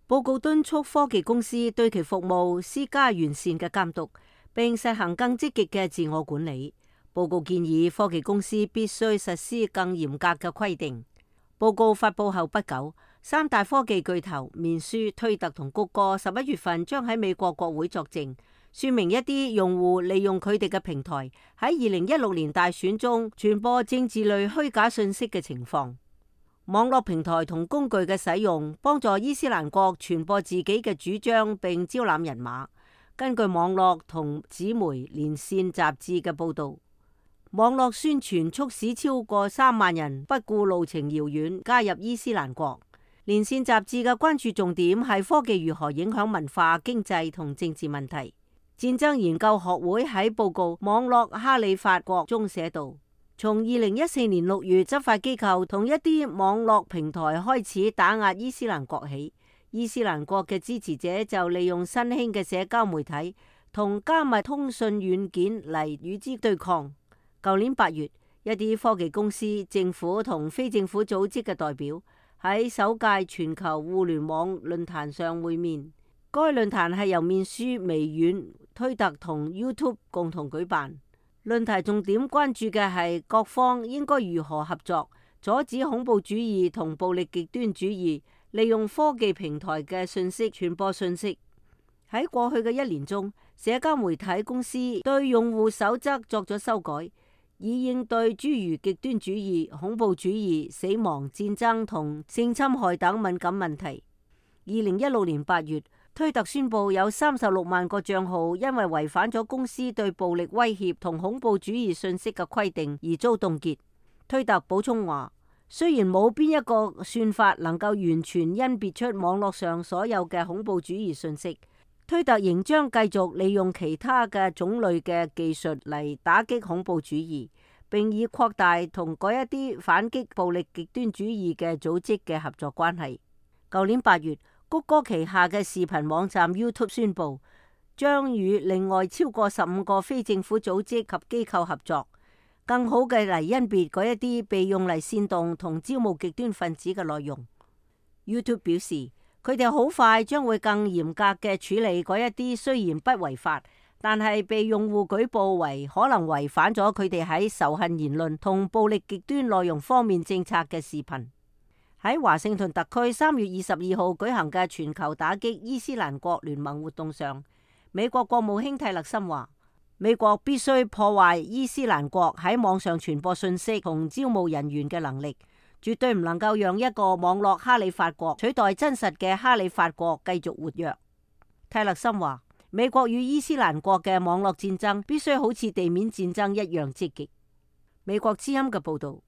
報告敦促科技公司對其服務施加完善嘅監督，並實行更積極嘅自我管理。報告建議科技公司必須實施更嚴格嘅規定。報告發佈後不久，三大科技巨頭面書、推特同谷歌11月份將喺美國國會作證，說明一啲用戶利用佢哋嘅平台喺2016年大選中傳播政治類虛假信息嘅情況。網絡平台同工具嘅使用，幫助伊斯蘭國傳播自己嘅主張並招攬人馬。根據網絡同紙媒連線雜誌嘅報導，網絡宣傳促使超過3萬人不顧路程遙遠加入伊斯蘭國。連線雜誌嘅關注重點係科技如何影響文化、經濟同政治問題。戰爭研究學會喺報告《網絡哈里發國》中寫道，從2014年6月執法機構同一啲網絡平台開始打壓伊斯蘭國起，伊斯蘭國嘅支持者就利用新興嘅社交媒體同加密通訊軟件嚟與之對抗。舊年8月，一啲科技公司、政府同非政府組織嘅代表喺首屆全球互聯網論壇上會面。該論壇係由面書、微軟、推特同 YouTube 共同舉辦。論壇重點關注嘅係各方應該如何合作，阻止恐怖主義同暴力極端主義利用科技平台嘅信息傳播信息。喺過去嘅1年中，社交媒體公司對用戶守則作咗修改，以應對諸如極端主義、恐怖主義、死亡、戰爭同性侵害等敏感問題。2016年8月，推特宣布有36萬個賬號因為違反咗公司對暴力威脅同恐怖主義信息嘅規定而遭凍結。推特補充話，雖然冇邊一個算法能夠完全甄別出網絡上所有嘅恐怖主義信息，推特仍將繼續利用其他嘅種類嘅技術嚟打擊恐怖主義，並以擴大同嗰一啲反擊暴力極端主義嘅組織嘅合作關係。舊年8月，谷歌旗下嘅視頻網站 YouTube 宣布，將與另外超過15個非政府組織及機構合作，更好嘅嚟甄別嗰一啲被用嚟煽動同招募極端分子嘅內容。YouTube 表示，佢哋好快將會更嚴格嘅處理嗰一啲雖然不違法，但係被用戶舉報為可能違反咗佢哋喺仇恨言論同暴力極端內容方面政策嘅視頻。喺華盛頓特區3月22號舉行嘅全球打擊伊斯蘭國聯盟活動上，美國國務卿蒂勒森話，美國必須破壞伊斯蘭國喺網上傳播信息同招募人員嘅能力，絕對唔能夠讓一個網絡哈里發國取代真實嘅哈里發國繼續活躍。蒂勒森話，美國與伊斯蘭國嘅網絡戰爭必須好似地面戰爭一樣積極。美國之音嘅報道。